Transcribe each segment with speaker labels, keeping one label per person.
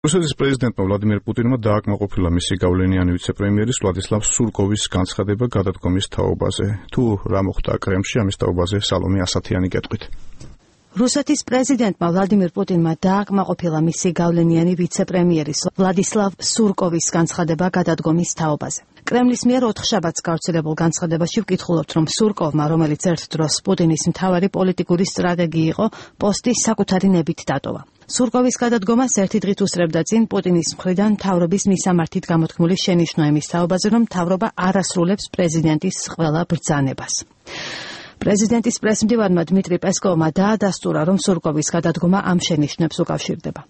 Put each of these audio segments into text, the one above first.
Speaker 1: რუსეთის პრეზიდენტმა ვლადიმერ პუტინმა დააკმაყოფილა მისი გავლენიანი ვიცე-პრემიერის ვლადისლავ სურკოვის განცხადება გადადგომის თაობაზე. თუ რა მოხდა კრემლში, ამის თაობაზე სალომე ასათიანი კეთყვით.
Speaker 2: რუსეთის პრეზიდენტმა ვლადიმერ პუტინმა დააკმაყოფილა მისი გავლენიანი ვიცე-პრემიერის ვლადისლავ სურკოვის განცხადება გადადგომის თაობაზე. კრემლის მიერ 4 შაბათს გავრცელებულ განცხადებაში ვკითხულობთ, რომ სურკოვმა, რომელიც ერთ დროს პუტინის მთავარი პოლიტიკური სტრატეგი იყო, პოსტი საკუთარი ნებით დატოვა. სურკოვის გადადგომას ერთი დღით უსწრებდა წინ პუტინის მხრიდან მთავრობის მისამართით გამოთქმული შენიშვნა იმის თაობაზე, რომ მთავრობა არ ასრულებს პრეზიდენტის ყველა ბრძანებას. პრეზიდენტის პრესმდივანმა დმიტრი პესკოვმა დაადასტურა, რომ სურკოვის გადადგომა ამ შენიშვნებს უკავშირდება.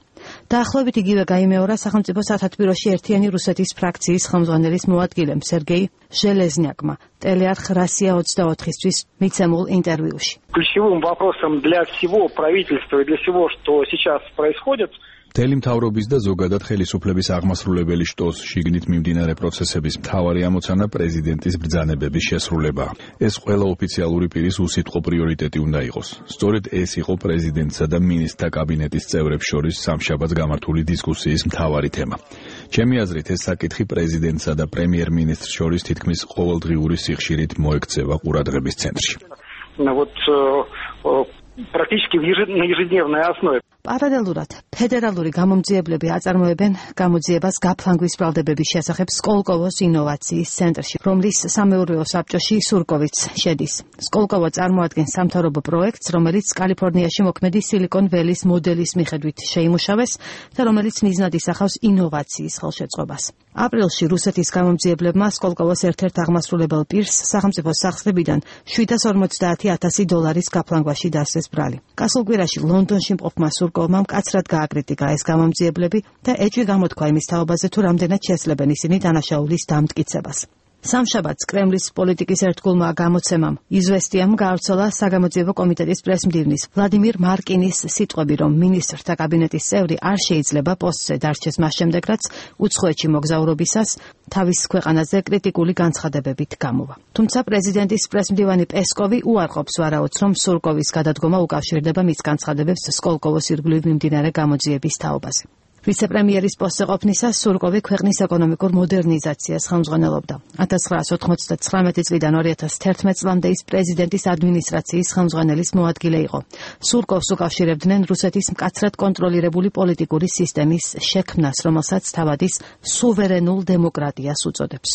Speaker 2: დაახლოებით იგივე გაიმეორა სახელმწიფო სათათბიროში ერთიანი რუსეთის ფრაქციის ხელმძღვანელის მოადგილემ სერგეი ჟელეზნიაკმა ტელეარხ Россия 24-ისთვის მიცემულ ინტერვიუში.
Speaker 3: Ключевым вопросом для всего правительства и для всего, что сейчас происходит,
Speaker 4: მთელი მთავრობის და ზოგადად ხელისუფლების აღმასრულებელი შტოს შიგნით მიმდინარე პროცესების მთავარი ამოცანა პრეზიდენტის ბრძანებების შესრულება. ეს ყველა ოფიციალური პირის უსიტყვო პრიორიტეტი უნდა იყოს. სწორედ ეს იყო პრეზიდენტსა და მინისტრთა კაბინეტის წევრებს შორის სამშაბათს გამართული დისკუსიის მთავარი თემა. ჩემი აზრით, ეს საკითხი პრეზიდენტსა და პრემიერ-მინისტრს შორის თითქმის ყოველდღიური სიხშირით მოექცევა ყურადღების ცენტრში.
Speaker 3: Практически на ежедневной основе.
Speaker 2: Პარალელურად, ფედერალური გამომძიებლები აწარმოებენ გამოძიებას გაფლანგვის ბრალდებების შესახებ სკოლკოვოს ინოვაციის ცენტრში, რომლის სამეურვეო საბჭოში სურკოვიც შედის. სკოლკოვო წარმოადგენს სამთავრობო პროექტს, რომელიც კალიფორნიაში მოქმედი სილიკონ ველის მოდელის მიხედვით შეიმუშავეს და რომელიც მიზნად ისახავს ინოვაციის ხელშეწყობას. აპრილში რუსეთის გამომძიებლებმა სკოლკოვოს ერთ-ერთ აღმასრულებელ პირს სახელმწიფო სახსრებიდან $750,000 გაფლანგვაში დასცეს ბრალი. გასულ კვირაში ლონდონში მყოფმა სურკოვმა მკაცრად გააკრიტიკა ეს გამომძიებლები და ეჭვი გამოთქვა იმის თაობაზე, თუ რამდენად შესლებენ ისინი დანაშაულის დამტკიცებას. სამშაბათს კრემლის პოლიტიკის ერთგულმა გამოცემამ იზვესტიამ გაავრცელა საგამოძიებო კომიტეტის პრესმდივნის ვლადიმირ მარკინის სიტყვები, რომ მინისტრთა კაბინეტის წევრი არ შეიძლება პოსტზე დარჩეს მას შემდეგ, რაც უცხოეთში მოგზაურობისას თავის ქვეყანაზე კრიტიკული განცხადებებით გამოვა. თუმცა პრეზიდენტის პრესმდივანი პესკოვი უარყოფს ვარაუდს, რომ სურკოვის გადადგომა უკავშირდება მის განცხადებებს სკოლკოვოს ირგვლივ მიმდინარე გამოძიების თაობაზე. ვიცე-პრემიერის პოსტზე ყოფნისას სურკოვი ქვეყნის ეკონომიკურ მოდერნიზაციას ხელმძღვანელობდა. 1999 წლიდან 2011 წლამდე ის პრეზიდენტის ადმინისტრაციის ხელმძღვანელის მოადგილე იყო. სურკოვს უკავშირებდნენ რუსეთის მკაცრად კონტროლირებული პოლიტიკური სისტემის შექმნას, რომელსაც თავად ის სუვერენულ დემოკრატიას უწოდებს.